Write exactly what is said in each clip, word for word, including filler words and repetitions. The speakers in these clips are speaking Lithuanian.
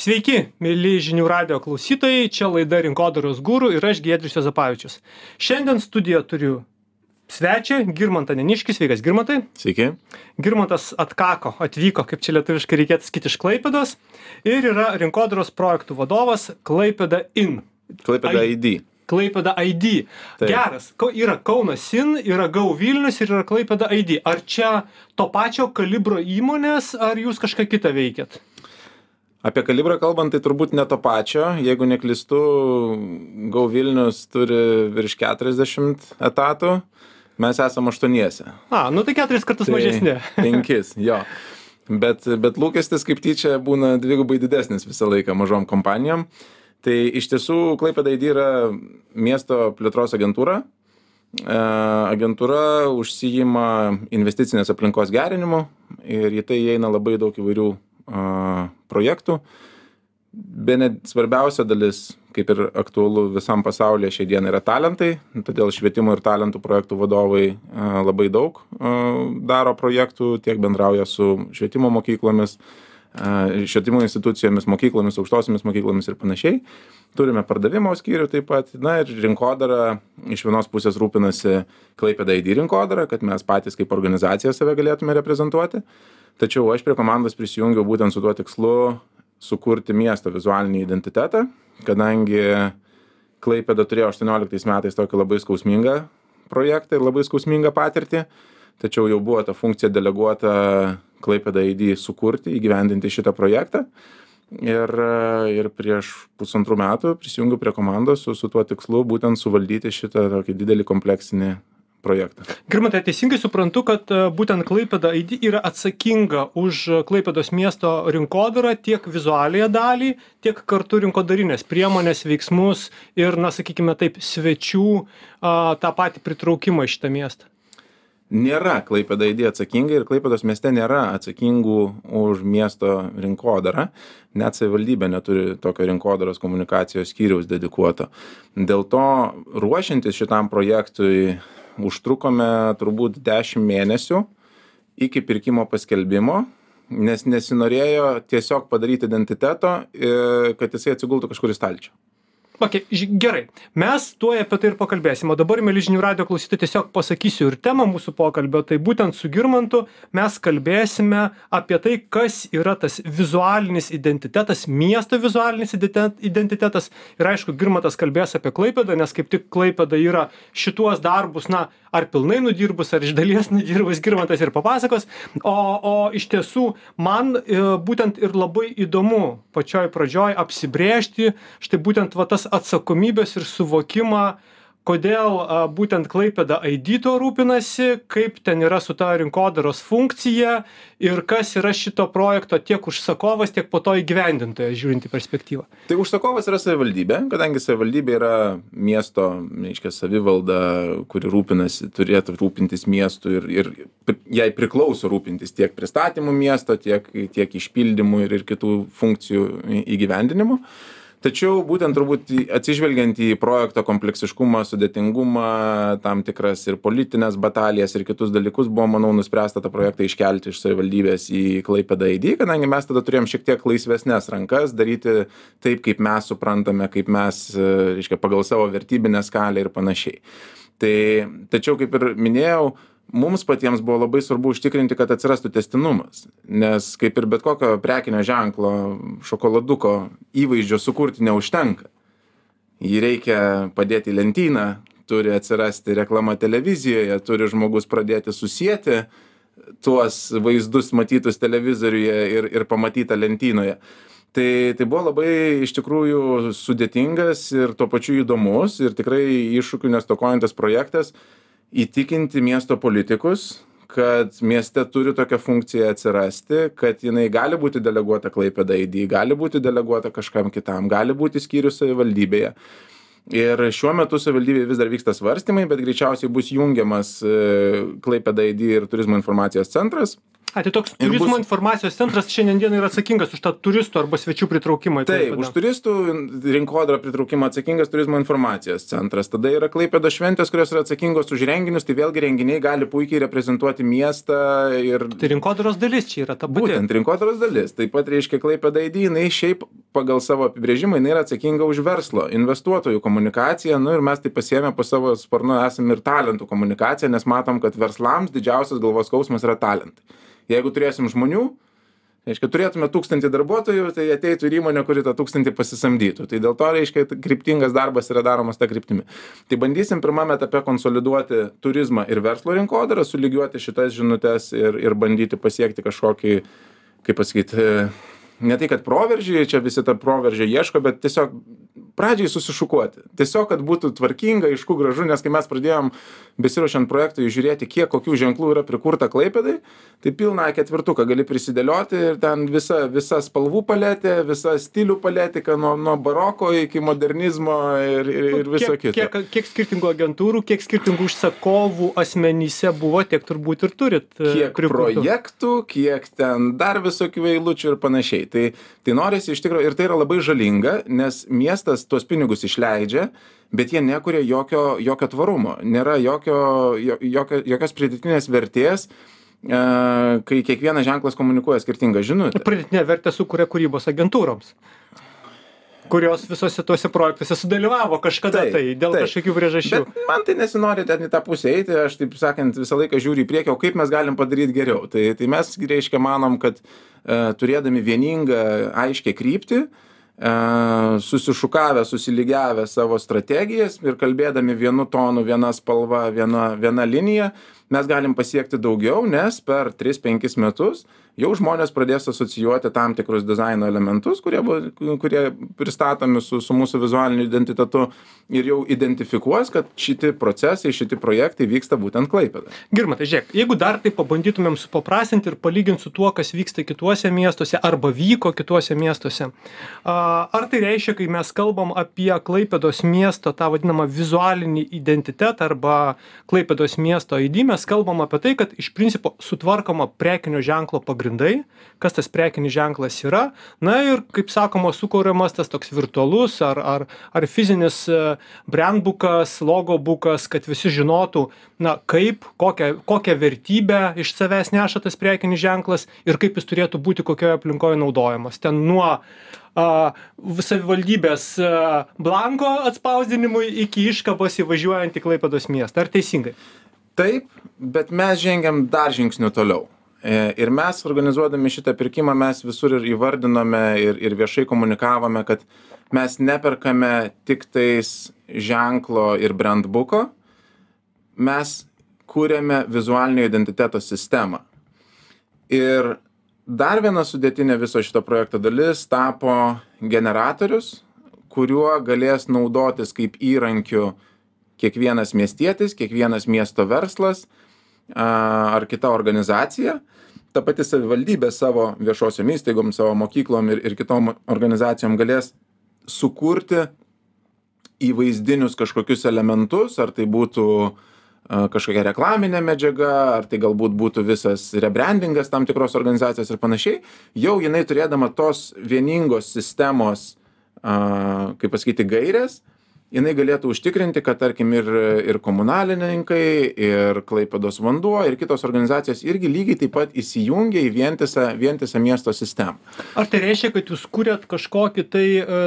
Sveiki, mėly žinių radijo klausytojai, čia laida Rinkodaros guru ir aš Giedrius Juozapavičius. Šiandien studijoje turiu svečią, Girmantą Neniškį. Sveikas, Girmantai. Sveiki. Girmantas atkako, atvyko, kaip čia lietuviškai reikėtų sakyti, iš Klaipėdos ir yra rinkodaros projektų vadovas Klaipėda in. Klaipėda I D. Klaipėda I D. Taip. Geras. Ko- Yra Kaunas in, yra Go Vilnius ir yra Klaipėda I D. Ar čia to pačio kalibro įmonės, ar jūs kažką kitą veikiat? Apie kalibrą kalbant, tai turbūt ne to pačio. Jeigu neklystu, Go Vilnius turi virš keturiasdešimt etatų, mes esame aštuoniese. A, nu tai keturis kartus mažesni. Penkis, jo. Bet, bet lūkestis kaip tyčia būna dvigubai didesnis visą laiką mažom kompanijom. Tai iš tiesų Klaipėda I D yra miesto plėtros agentūra. E, agentūra užsijima investicinės aplinkos gerinimu ir į tai įeina labai daug įvairių a, projektų. Bene svarbiausia dalis, kaip ir aktualu visam pasaulyje šiai dienai, yra talentai. Todėl švietimo ir talentų projektų vadovai a, labai daug a, daro projektų, tiek bendrauja su švietimo mokyklomis, švietimo institucijomis, mokyklomis, aukštosiomis mokyklomis ir panašiai. Turime pardavimo skyrių taip pat. Na ir rinkodara iš vienos pusės rūpinasi Klaipėda I D rinkodara, kad mes patys kaip organizacija save galėtume reprezentuoti. Tačiau aš prie komandos prisijungiau būtent su tuo tikslu sukurti miesto vizualinį identitetą, kadangi Klaipėda turėjo aštuonioliktais metais tokį labai skausmingą projektą ir labai skausmingą patirtį. Tačiau jau buvo ta funkcija deleguota Klaipėda I D sukurti, įgyvendinti šitą projektą. Ir, ir prieš pusantrų metų prisijungiau prie komandos su, su tuo tikslu būtent suvaldyti šitą tokį didelį kompleksinį projektą. Girmantai, teisingai suprantu, kad e, būtent Klaipėda I D yra atsakinga už Klaipėdos miesto rinkodarą, tiek vizualiąją dalį, tiek kartu rinkodarinės priemonės, veiksmus ir, na, sakykime taip, svečių a, tą patį pritraukimą į šitą miestą. Nėra Klaipėda I D atsakinga ir Klaipėdos mieste nėra atsakingų už miesto rinkodarą. Net savivaldybė neturi tokio rinkodaros komunikacijos skyriaus dedikuoto. Dėl to ruošiantis šitam projektui užtrukome turbūt dešimt mėnesių iki pirkimo paskelbimo, nes nesinorėjo tiesiog padaryti identiteto, kad jisai atsigultų kažkur į stalčių. Okay, gerai, mes tuoj apie tai ir pakalbėsim, o dabar, mėly žinių radijo klausytojai, tiesiog pasakysiu ir temą mūsų pokalbio, tai būtent su Girmantu mes kalbėsime apie tai, kas yra tas vizualinis identitetas, miesto vizualinis identitetas ir aišku, Girmantas kalbės apie Klaipėdą, nes kaip tik Klaipėda yra šituos darbus, na, ar pilnai nudirbus, ar iš dalies nudirbus, Girmantas ir papasakos, o, o iš tiesų man e, būtent ir labai įdomu pačioj pradžioj apsibrėžti štai būtent va tas atsakomybės ir suvokimą, kodėl a, būtent Klaipėda I D to rūpinasi, kaip ten yra su ta rinkodaros funkcija ir kas yra šito projekto tiek užsakovas, tiek po to įgyvendintojas, žiūrint į perspektyvą. Tai užsakovas yra savivaldybė, kadangi savivaldybė yra miesto, reiškia, savivalda, kuri rūpinasi, turėtų rūpintis miestu ir, ir jai priklauso rūpintis tiek pristatymų miesto, tiek, tiek išpildymų ir, ir kitų funkcijų įgyvendinimu. Tačiau būtent turbūt atsižvelgiant į projekto kompleksiškumą, sudėtingumą, tam tikras ir politinės batalijas ir kitus dalykus, buvo, manau, nuspręsta tą projektą iškelti iš savivaldybės į Klaipėdą I D, kadangi mes tada turėjom šiek tiek laisvesnės rankas, daryti taip, kaip mes suprantame, kaip mes, reiškia, pagal savo vertybinę skalę ir panašiai. Tai, tačiau, kaip ir minėjau, mums patiems buvo labai svarbu užtikrinti, kad atsirastų tęstinumas, nes kaip ir bet kokio prekinio ženklo šokoladuko įvaizdžio sukurti neužtenka. Jį reikia padėti į lentyną, turi atsirasti reklama televizijoje, turi žmogus pradėti susieti tuos vaizdus matytus televizoriuje ir, ir pamatytą lentynoje. Tai, tai buvo labai iš tikrųjų sudėtingas ir tuo pačiu įdomus ir tikrai iššūkių nestokojantis projektas įtikinti miesto politikus, kad mieste turi tokia funkcija atsirasti, kad jinai gali būti deleguota Klaipėda I D, gali būti deleguota kažkam kitam, gali būti skyrius savivaldybėje. Ir šiuo metu savivaldybėje vis dar vyksta svarstymai, bet greičiausiai bus jungiamas Klaipėda I D ir turizmo informacijos centras. A, tai toks turizmo bus... informacijos centras šiandien dieną yra atsakingas už tą turistų arba svečių pritraukimą. Taip, už turistų rinkodarą pritraukimą atsakingas turizmo informacijos centras. Tada yra Klaipėdos šventės, kurios yra atsakingos už renginius, tai vėlgi renginiai gali puikiai reprezentuoti miestą. Ir... Tai rinkodaros dalis čia yra ta pati. Būtent rinkodaros dalis. Taip pat reiškia Klaipėda I D, jinai šiaip pagal savo apibrėžimą jinai yra atsakinga už verslo, investuotojų komunikaciją, nu ir mes tai pasiėmę po savo sparnu esame ir talentų komunikaciją, nes matom, kad verslams didžiausias galvos skausmas yra talentai. Jeigu turėsim žmonių, reiškia, turėtume tūkstantį darbuotojų, tai ateitų ir įmonė, kuri tą tūkstantį pasisamdytų. Tai dėl to, reiškia, kryptingas darbas yra daromas tą kryptimį. Tai bandysim pirmame etape konsoliduoti turizmą ir verslo rinkodarą, sulygiuoti šitas žinutes ir, ir bandyti pasiekti kažkokį, kaip pasakyti, ne tai, kad proveržį, čia visi tą proveržį ieško, bet tiesiog pradžiai susišukuoti. Tiesiog, kad būtų tvarkinga, aišku, gražu, nes kai mes pradėjom besiruošiant projektui žiūrėti, kiek kokių ženklų yra prikurta Klaipėdai, tai pilną ketvirtuką gali prisidėlioti ir ten visa, visa spalvų paletė, visa stilių paletė, nuo, nuo baroko iki modernizmo ir, ir, ir viso kiek, kito. Kiek, kiek skirtingų agentūrų, kiek skirtingų užsakovų asmenyse buvo, tiek turbūt ir turit. Kiek prikurtų projektų, kiek ten dar visokių eilučių ir panašiai. Tai, tai norisi iš tikrųjų, ir tai yra labai žalinga, nes miestas tuos pinigus išleidžia, bet jie nekuria jokio, jokio tvarumo, nėra jokio, jokio, jokios pridėtinės vertės, e, kai kiekvienas ženklas komunikuoja skirtingą žinutę. Pridėtinė vertė sukuria kūrybos agentūroms, kurios visose tuose projektuose sudalyvavo kažkada taip, tai, dėl taip. kažkokių priežasčių. Bet man tai nesinori ten į tą pusę eiti, aš taip sakant visą laiką žiūriu į priekį, o kaip mes galim padaryti geriau. Tai, tai mes, reiškia, manom, kad e, turėdami vieningą, aiškę kryptį, susišukavę, susilygiavę savo strategijas ir kalbėdami vienu tonu, viena spalva, viena, viena linija, mes galim pasiekti daugiau, nes per tris penkis metus jau žmonės pradės asocijuoti tam tikrus dizaino elementus, kurie, kurie pristatomi su, su mūsų vizualiniu identitetu ir jau identifikuos, kad šiti procesai, šiti projektai vyksta būtent Klaipėdoje. Girmantai, žiūrėk, jeigu dar tai pabandytumėm supaprastinti ir palyginti su tuo, kas vyksta kituose miestuose arba vyko kituose miestuose, ar tai reiškia, kai mes kalbam apie Klaipėdos miesto tą vadinamą vizualinį identitetą arba Klaipėdos miesto I D, mes kalbam apie tai, kad iš principo sutvarkoma prekinio ženklo pagrindai, kas tas prekinis ženklas yra, na ir, kaip sakoma, sukuriamas tas toks virtualus ar, ar, ar fizinis brandbukas, logobukas, kad visi žinotų, na, kaip, kokią, kokią vertybę iš savęs neša tas prekinis ženklas ir kaip jis turėtų būti kokioje aplinkoje naudojamas. Ten nuo a, savivaldybės a, blanko atspausdinimui iki iškabos įvažiuojant į Klaipėdos miestą. Ar teisingai? Taip, bet mes žengiam dar žingsniu toliau. Ir mes, organizuodami šitą pirkimą, mes visur ir įvardinome ir, ir viešai komunikavome, kad mes neperkame tik tais ženklo ir brandbuko, mes kūrėme vizualinio identiteto sistemą. Ir dar viena sudėtinė viso šito projekto dalis tapo generatorius, kuriuo galės naudotis kaip įrankiu kiekvienas miestietis, kiekvienas miesto verslas ar kita organizacija. Ta pati savivaldybė savo viešosiom įstaigom, savo mokyklom ir, ir kitom organizacijom galės sukurti įvaizdinius kažkokius elementus, ar tai būtų kažkokia reklaminė medžiaga, ar tai galbūt būtų visas rebrandingas tam tikros organizacijos ir panašiai, jau jinai turėdama tos vieningos sistemos, kaip pasakyti, gairės, jinai galėtų užtikrinti, kad tarkim ir, ir komunalininkai, ir Klaipėdos vanduo, ir kitos organizacijos irgi lygiai taip pat įsijungia į vientisą, vientisą miesto sistemą. Ar tai reiškia, kad jūs kūrėt kažkokį tai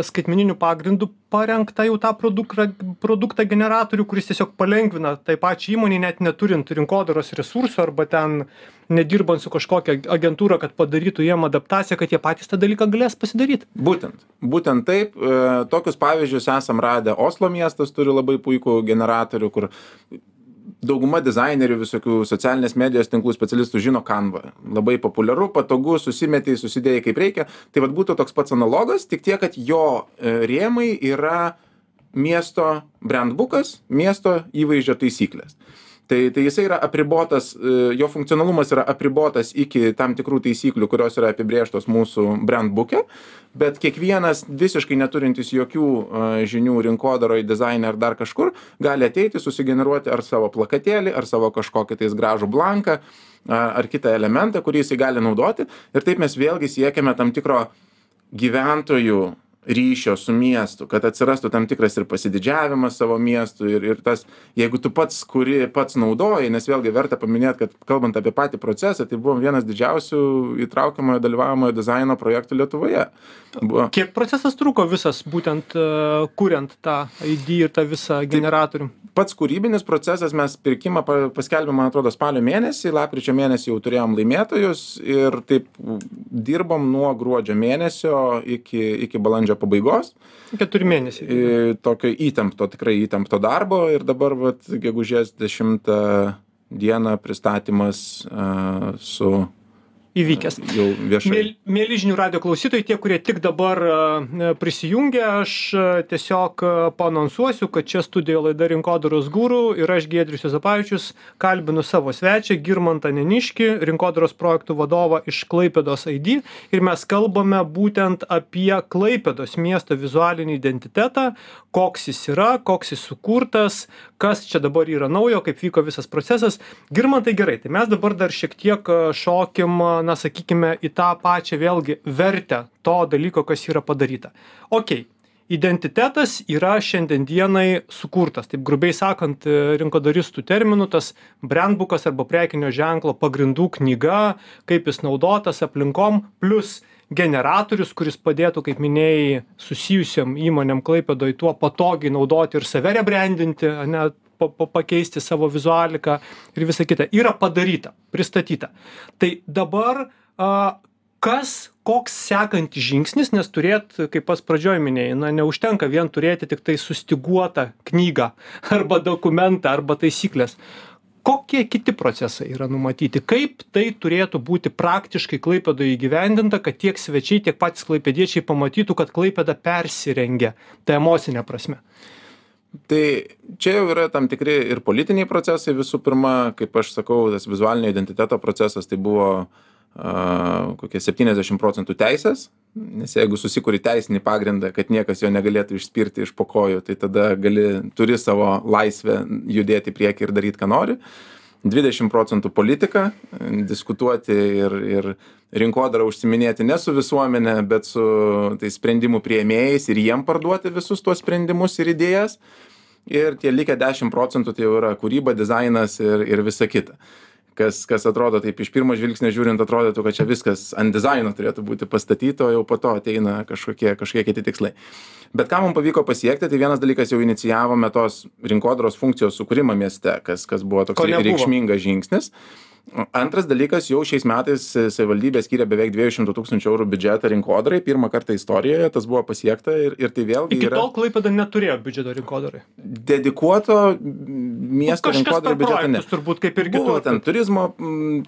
skaitmeninių pagrindų parengtą jau tą produktą, produktą generatorių, kuris tiesiog palengvina tai pačiai įmonei, net neturint rinkodaros resursų arba ten nedirbant su kažkokia agentūra, kad padarytų jiem adaptaciją, kad jie patys tą dalyką galės pasidaryti? Būtent. Būtent taip. E, tokius pavyzdžius esam radę. Oslo miestas turi labai puikų generatorių, kur dauguma dizainerių, visokių socialinės medijos tinklų specialistų žino Canva. Labai populiaru, patogu, susimetei, susidėjai kaip reikia. Tai vat būtų toks pats analogas, tik tiek, kad jo rėmai yra miesto brandbukas, miesto įvaizdžio taisyklės. Tai, tai jisai yra apribotas, jo funkcionalumas yra apribotas iki tam tikrų taisyklių, kurios yra apibrėžtos mūsų brandbuke, bet kiekvienas visiškai neturintis jokių žinių rinkodaroje, dizaine ar dar kažkur, gali ateiti, susigeneruoti ar savo plakatėlį, ar savo kažkokį tais gražų blanką, ar kitą elementą, kurį jisai gali naudoti. Ir taip mes vėlgi siekiame tam tikro gyventojų ryšio su miestu, kad atsirastų tam tikras ir pasididžiavimas savo miestu ir, ir tas, jeigu tu pats kuri, pats naudoji, nes vėlgi verta paminėti, kad kalbant apie patį procesą, tai buvo vienas didžiausių įtraukiamojo dalyvavimojo dizaino projektų Lietuvoje. Buvo. Kiek procesas truko visas, būtent uh, kuriant tą I D ir tą visą generatorių? Pats kūrybinis procesas, mes pirkimą paskelbėme, man atrodo, spalio mėnesį, lapkričio mėnesį jau turėjom laimėtojus ir taip dirbom nuo gruodžio mėnesio iki, iki balandžio pabaigos. Keturi mėnesiai. Tokio įtempto, tikrai įtempto darbo ir dabar, vat, gegužės dešimtą dieną pristatymas uh, su įvykęs. Jau viešai. Mėl, mėly žinių radijo klausytojai, tie, kurie tik dabar uh, prisijungia, aš uh, tiesiog uh, paanonsuosiu, kad čia studijoje laida Rinkodaros guru ir aš Giedrius Juozapavičius kalbinu savo svečią Girmantą Neniškį, rinkodaros projektų vadovą iš Klaipėdos I D ir mes kalbame būtent apie Klaipėdos miesto vizualinį identitetą, koks jis yra, koks jis sukurtas, kas čia dabar yra naujo, kaip vyko visas procesas. Girmantai, gerai, tai mes dabar dar šiek tiek šokim, na, sakykime, į tą pačią vėlgi vertę to dalyko, kas yra padaryta. Ok, identitetas yra šiandien dienai sukurtas, taip grubiai sakant, rinkodaristų terminų, tas brandbukas arba prekinio ženklo pagrindų knyga, kaip jis naudotas aplinkom, plus generatorius, kuris padėtų, kaip minėjai, susijusiam įmonėm Klaipėdoj tuo patogiai naudoti ir save rebrandinti, ne, pa, pa, pakeisti savo vizualiką ir visa kita, yra padaryta, pristatyta. Tai dabar a, kas, koks sekantis žingsnis, nes turėt, kaip pas pradžioj minėjai, na, neužtenka vien turėti tik tai sustiguotą knygą arba dokumentą arba taisyklės. Kokie kiti procesai yra numatyti? Kaip tai turėtų būti praktiškai Klaipėdoje įgyvendinta, kad tiek svečiai, tiek patys klaipėdiečiai pamatytų, kad Klaipėda persirengia tą emocinę prasme? Tai čia jau yra tam tikri ir politiniai procesai. Visų pirma, kaip aš sakau, tas vizualinio identiteto procesas tai buvo uh, kokie septyniasdešimt procentų teisės, nes jeigu susikuri teisinį pagrindą, kad niekas jo negalėtų išspirti iš po kojų, tai tada gali, turi savo laisvę judėti į priekį ir daryti, ką nori. dvidešimt procentų politika, diskutuoti ir, ir rinkodarą užsiminėti ne su visuomenė, bet su tai sprendimų priėmėjais ir jiem parduoti visus tuos sprendimus ir idėjas. Ir tie likę dešimt procentų tai jau yra kūryba, dizainas ir, ir visa kita. Kas, kas atrodo, taip iš pirmo žvilgsnio žiūrint, atrodytų, kad čia viskas ant dizaino turėtų būti pastatyto, jau po to ateina kažkokie, kažkokie kiti tikslai. Bet ką mums pavyko pasiekti, tai vienas dalykas jau inicijavome tos rinkodaros funkcijos sukūrimą mieste, kas, kas buvo toks reikšmingas žingsnis. Antras dalykas, jau šiais metais savivaldybė skyrė beveik dviejų šimtų tūkstančių eurų biudžetą rinkodarai, pirmą kartą istorijoje tas buvo pasiekta ir, ir tai vėlgi Iki yra... tol Klaipėda neturėjo biudžeto rinkodarai. Dedikuoto miesto rinkodarai biudžetą ne. Turbūt kaip ir buvo, ten turizmo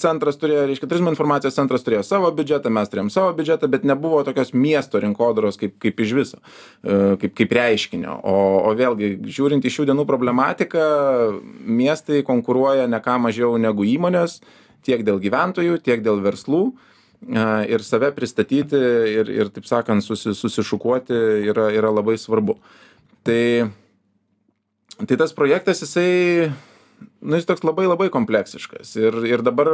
centras turėjo, reiškia, turizmo informacijos centras turėjo savo biudžetą, mes turėjom savo biudžetą, bet nebuvo tokios miesto rinkodaros kaip, kaip iš viso, kaip, kaip reiškinio. O, o vėlgi, žiūrint į šių dienų problematiką, miestai konkuruoja ne ką mažiau negu įmonės, tiek dėl gyventojų, tiek dėl verslų ir save pristatyti ir, ir taip sakant, susi, susišukuoti yra, yra labai svarbu. Tai, tai tas projektas, jisai, nu, jis toks labai labai kompleksiškas ir, ir dabar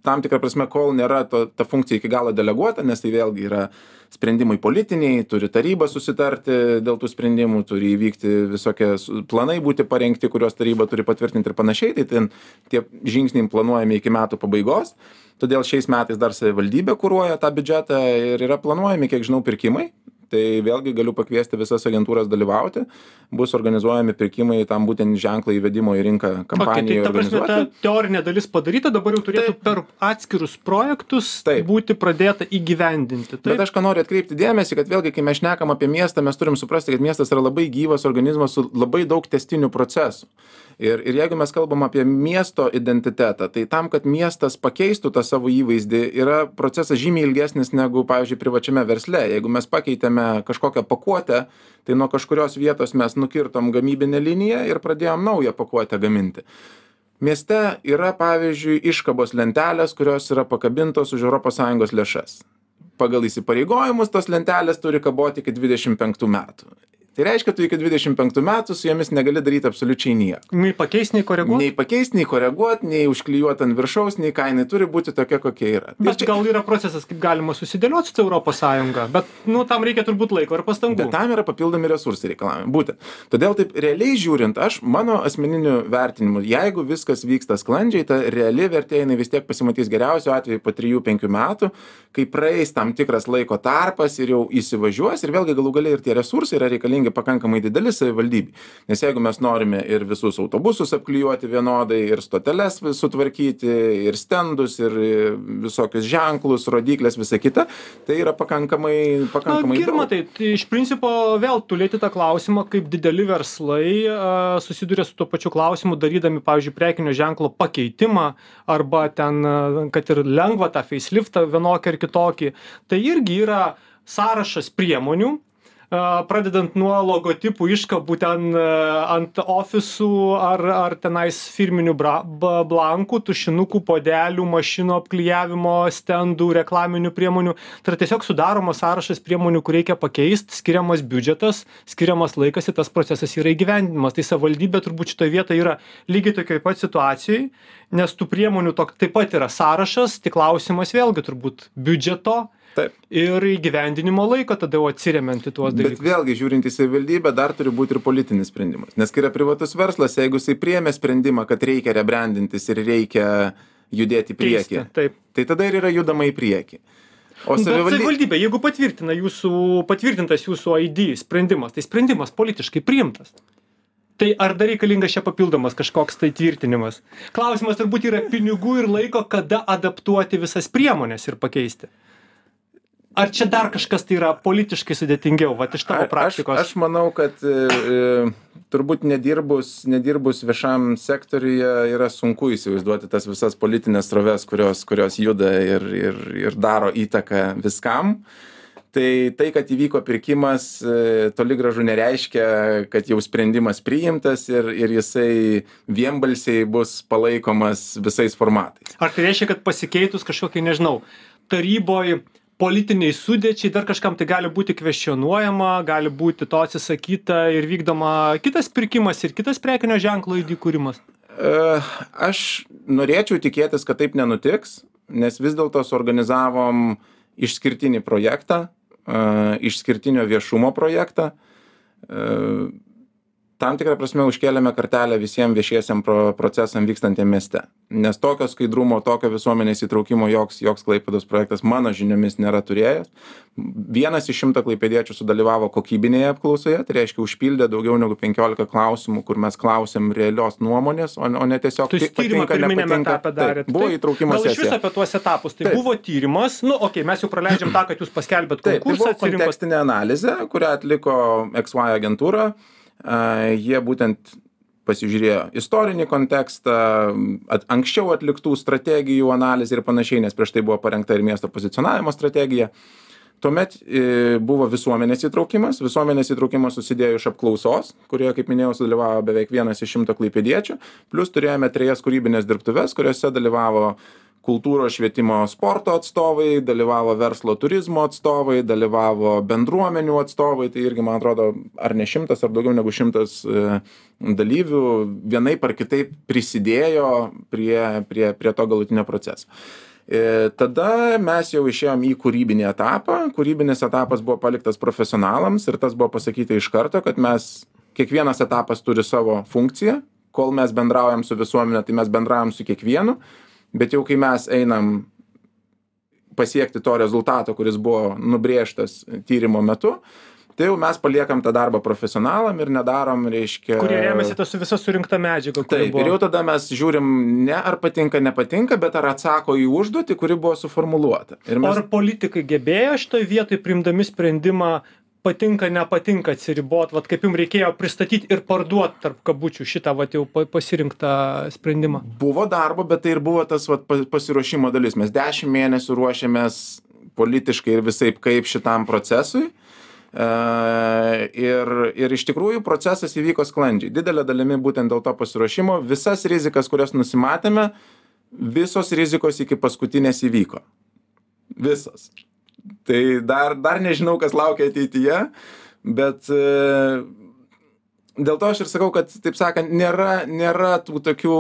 tam tikrą prasme, kol nėra to, ta funkcija iki galo deleguota, nes tai vėlgi yra sprendimai politiniai, turi taryba susitarti dėl tų sprendimų, turi įvykti visokie planai būti parengti, kuriuos taryba turi patvirtinti ir panašiai, tai ten tie žingsniai planuojami iki metų pabaigos, todėl šiais metais dar savivaldybė kuruoja tą biudžetą ir yra planuojami, kiek žinau, pirkimai. Tai vėlgi galiu pakviesti visas agentūras dalyvauti, bus organizuojami pirkimai tam būtent ženklą įvedimo į rinką kampanijai okay, tai organizuoti. Ta prasme, ta teorinė dalis padaryta, dabar jau turėtų taip, per atskirus projektus taip. būti pradėta įgyvendinti. Taip? Bet aš ką noriu atkreipti dėmesį, kad vėlgi, kai mes šnekam apie miestą, mes turim suprasti, kad miestas yra labai gyvas organizmas su labai daug tęstinių procesų. Ir, ir jeigu mes kalbam apie miesto identitetą, tai tam, kad miestas pakeistų tą savo įvaizdį, yra procesas žymiai ilgesnis negu, pavyzdžiui, privačiame versle. Jeigu mes pakeitėme kažkokią pakuotę, tai nuo kažkurios vietos mes nukirtom gamybinę liniją ir pradėjom naują pakuotę gaminti. Mieste yra, pavyzdžiui, iškabos lentelės, kurios yra pakabintos už Europos Sąjungos lėšas. Pagal įsipareigojimus tos lentelės turi kaboti iki dvidešimt penktų metų. Tai reiškia, tu iki dvidešimt penktų metų su jomis negali daryti absoliučiai nieko. Nei pakeisti, nei koreguoti? Nei pakeisti, nei koreguoti, nei užklijuoti ant viršaus, nei ką jinai turi būti tokia, kokia yra. Bet čia... gal yra procesas, kaip galima susidėlioti su Europos Sąjunga, bet nu, tam reikia turbūt laiko ir pastangų. Bet tam yra papildomi resursai reikalavimai. Būtent. Todėl taip realiai žiūrint, aš mano asmeniniu vertinimu, jeigu viskas vyksta sklandžiai, ta reali vertė jinai vis tiek pasimatys geriausiu atveju po trijų penkių metų, kai praeis tam tikras laiko tarpas ir jau įsivažiuos ir vėlgi galų gale ir tie resursai yra reikalingi pakankamai dideli savivaldybei. Nes jeigu mes norime ir visus autobusus apklijuoti vienodai, ir stoteles sutvarkyti, ir stendus, ir visokius ženklus, rodiklės, visa kita, tai yra pakankamai, pakankamai Na, Girma, daug. Tai, tai iš principo vėl tu lieti tą klausimą, kaip dideli verslai a, susiduria su tuo pačiu klausimu, darydami, pavyzdžiui, prekinio ženklo pakeitimą, arba ten, a, kad ir lengva tą faceliftą vienokį ar kitokį. Tai irgi yra sąrašas priemonių, pradedant nuo logotipų iškabų ten ant ofisų ar, ar tenais firminių bra, blankų, tušinukų, podelių, mašinų apklijavimo, stendų, reklaminių priemonių. Tai yra tiesiog sudaromas sąrašas priemonių, kur reikia pakeisti, skiriamas biudžetas, skiriamas laikas ir tas procesas yra įgyvendinimas. Tai savivaldybė turbūt šitoje vietoje yra lygiai tokioj pat situacijai, nes tų priemonių tok, taip pat yra sąrašas, tik klausimas vėlgi turbūt biudžeto. Taip. Ir įgyvendinimo laiko tada jau atsiremiant į tuos dalykus. Bet vėlgi, žiūrint į savivaldybę, dar turi būti ir politinis sprendimas. Nes kai yra privatus verslas, jeigu jisai priėmė sprendimą, kad reikia rebrandintis ir reikia judėti į priekį, Keisti, taip. tai tada ir yra judama į priekį. O Bet savivaldybė... savivaldybė, jeigu patvirtina jūsų, patvirtintas jūsų I D sprendimas, tai sprendimas politiškai priimtas. Tai ar dar reikalingas čia papildomas kažkoks tai tvirtinimas? Klausimas turbūt yra pinigų ir laiko, kada adaptuoti visas priemonės ir pakeisti. Ar čia dar kažkas tai yra politiškai sudėtingiau, va, iš tavo praktikos? Aš, aš manau, kad e, e, turbūt nedirbus, nedirbus viešam sektoriuje yra sunku įsivaizduoti tas visas politinės sroves, kurios, kurios juda ir, ir, ir daro įtaką viskam. Tai tai, kad įvyko pirkimas, e, toli gražu nereiškia, kad jau sprendimas priimtas ir, ir jisai vienbalsiai bus palaikomas visais formatais. Ar tai reiškia, kad pasikeitus kažkokiai, nežinau, taryboj politiniai sudėčiai, dar kažkam tai gali būti kvestionuojama, gali būti to atsisakyta ir vykdoma kitas pirkimas ir kitas prekinio ženklo I D kūrimas? Aš norėčiau tikėtis, kad taip nenutiks, nes vis dėlto suorganizavom išskirtinį projektą, išskirtinio viešumo projektą. Tam tikrą prasme užkėlėme kartelę visiems viešiesiam pro, procesam vykstantiem mieste. Nes tokio skaidrumo, tokio visuomenės įtraukimo joks, joks Klaipėdos projektas mano žiniomis nėra turėjęs. Vienas iš šimto klaipėdiečių sudalyvavo kokybinėje apklausoje, tai reiškia užpildė daugiau negu penkiolika klausimų, kur mes klausėm realios nuomonės, o, o ne tiesiog tu tyrimą pirminėme etape darėt. Buvo įtraukimo sesija. Gal iš viso apie tuos etapus, tai Taip. Buvo tyrimas, nu okei, okay, mes jau praleidžiam tą, kad jūs paskelbėt Taip, konkursą. tai buvo kontekstinė analizė, kurią atliko X Y agentūra. Uh, jie būtent pasižiūrėjo istorinį kontekstą, at, anksčiau atliktų strategijų analizę ir panašiai, nes prieš tai buvo parengta ir miesto pozicionavimo strategija. Tuomet e, buvo visuomenės įtraukimas. Visuomenės įtraukimas susidėjo iš apklausos, kurioje, kaip minėjau, sudalyvavo beveik vienas iš šimto klaipėdiečių. Plus turėjome trejas kūrybinės dirbtuves, kuriuose dalyvavo kultūros, švietimo, sporto atstovai, dalyvavo verslo turizmo atstovai, dalyvavo bendruomenių atstovai, tai irgi, man atrodo, ar ne šimtas, ar daugiau negu šimtas e, dalyvių vienaip ar kitaip prisidėjo prie, prie, prie to galutinio proceso. E, tada mes jau išėjom į kūrybinį etapą. Kūrybinis etapas buvo paliktas profesionalams ir tas buvo pasakyti iš karto, kad mes, kiekvienas etapas turi savo funkciją. Kol mes bendraujam su visuomenė, tai mes bendraujam su kiekvienu. Bet jau kai mes einam pasiekti to rezultato, kuris buvo nubrėžtas tyrimo metu, tai jau mes paliekam tą darbą profesionalam ir nedarom, reiškia... Kurie remiasi tą su visa surinkta medžiaga. Taip, buvo. Ir jau tada mes žiūrim ne ar patinka, nepatinka, bet ar atsako į užduotį, kuri buvo suformuluota. Ir mes... Ar politikai gebėjo šitoj vietoj priimdami sprendimą patinka, nepatinka atsiribot, vat kaip jums reikėjo pristatyti ir parduoti tarp kabučių šitą vat jau pasirinktą sprendimą? Buvo darbo, bet tai ir buvo tas vat pasiruošimo dalis. Mes dešimt mėnesių ruošėmės politiškai ir visaip kaip šitam procesui. Uh, ir, ir iš tikrųjų procesas įvyko sklandžiai. Didelė dalimi būtent dėl to pasiruošimo. Visas rizikas, kurias nusimatėme, visos rizikos iki paskutinės įvyko. Visos. Tai dar, dar nežinau, kas laukia ateityje, bet dėl to aš ir sakau, kad, taip sakant, nėra, nėra tų tokių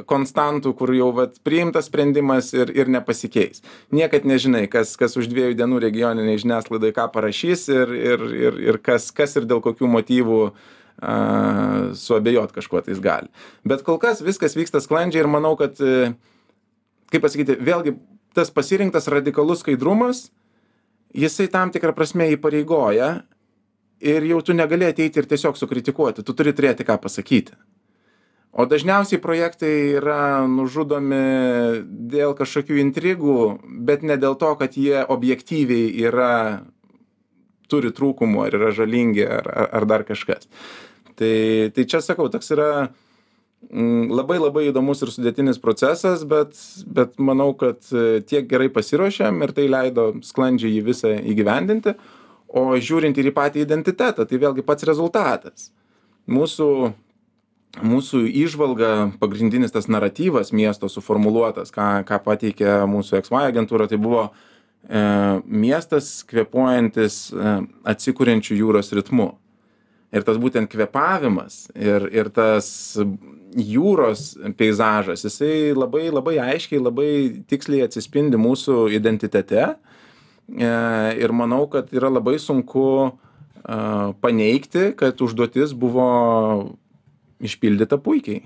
konstantų, kur jau vat, priimtas sprendimas ir, ir nepasikeis. Niekad nežinai, kas, kas už dviejų dienų regioniniai žiniasklaidai ką parašys ir, ir, ir, ir kas, kas ir dėl kokių motyvų a, suabejot kažkuo tais gali. Bet kol kas viskas vyksta sklandžiai ir manau, kad, kaip pasakyti, vėlgi tas pasirinktas radikalus skaidrumas, jisai tam tikrą prasme įpareigoja. Ir jau tu negali ateiti ir tiesiog sukritikuoti, tu turi turėti ką pasakyti. O dažniausiai projektai yra nužudomi dėl kažkokių intrigų, bet ne dėl to, kad jie objektyviai yra, turi trūkumų, ar yra žalingi, ar, ar, ar dar kažkas. Tai, tai čia sakau, toks yra mm, labai labai įdomus ir sudėtinis procesas, bet, bet manau, kad tiek gerai pasiruošėm ir tai leido sklandžiai jį visą įgyvendinti. O žiūrint ir į patį identitetą, tai vėlgi pats rezultatas. Mūsų, mūsų įžvalga, pagrindinis tas naratyvas miesto suformuluotas, ką, ką pateikė mūsų X Y agentūra, tai buvo e, miestas kvėpuojantis e, atsikuriančių jūros ritmu. Ir tas būtent kvėpavimas ir, ir tas jūros peizažas, jisai labai, labai aiškiai, labai tiksliai atsispindi mūsų identitete. Ir manau, kad yra labai sunku paneigti, kad užduotis buvo išpildyta puikiai.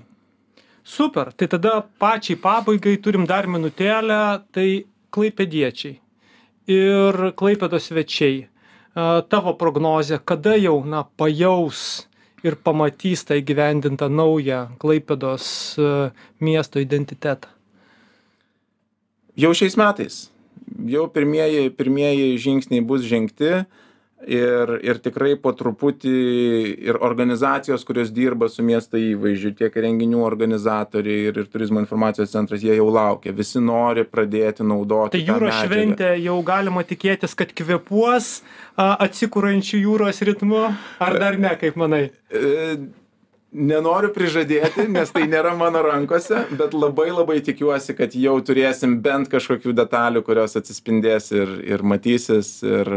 Super, tai tada pačiai pabaigai turim dar minutėlę, tai klaipėdiečiai ir Klaipėdos svečiai. Tavo prognozė, kada jau na, pajaus ir pamatys tą įgyvendintą naują Klaipėdos miesto identitetą? Jau šiais metais. Jau pirmieji, pirmieji žingsniai bus žengti ir, ir tikrai po truputį ir organizacijos, kurios dirba su miesto įvaizdžiu, tiek renginių organizatoriai ir, ir turizmo informacijos centras, jie jau laukia. Visi nori pradėti naudoti. Tai jūros šventė jau galima tikėtis, kad kvėpuos atsikuriančių jūros ritmu, ar dar ne, kaip manai? E, Nenoriu prižadėti, nes tai nėra mano rankose, bet labai labai tikiuosi, kad jau turėsim bent kažkokių detalių, kurios atsispindės ir, ir matysis. Ir,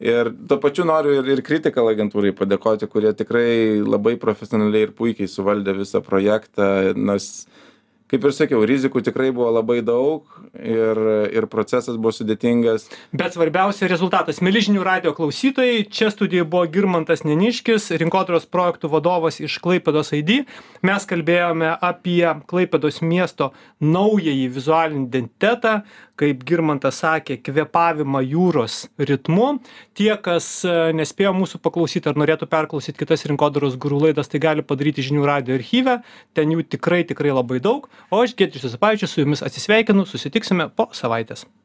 ir tuo pačiu noriu ir, ir Critical agentūrai padėkoti, kurie tikrai labai profesionaliai ir puikiai suvaldė visą projektą. Nors, kaip ir sakiau, rizikų tikrai buvo labai daug ir, ir procesas buvo sudėtingas. Bet svarbiausia rezultatas. Mieli žinių radijo klausytojai, čia studijoje buvo Girmantas Neniškis, rinkodaros projektų vadovas iš Klaipėdos I D. Mes kalbėjome apie Klaipėdos miesto naująjį vizualinį identitetą, kaip Girmantas sakė, kvėpavimą jūros ritmu. Tie, kas nespėjo mūsų paklausyti ar norėtų perklausyti kitas rinkodaros guru laidas, tai gali padaryti žinių radijo archyve. Ten jų tikrai, tikrai labai daug. O aš, Giedrius Juozapavičius, su jumis atsisveikinu, susitiksime po savaitės.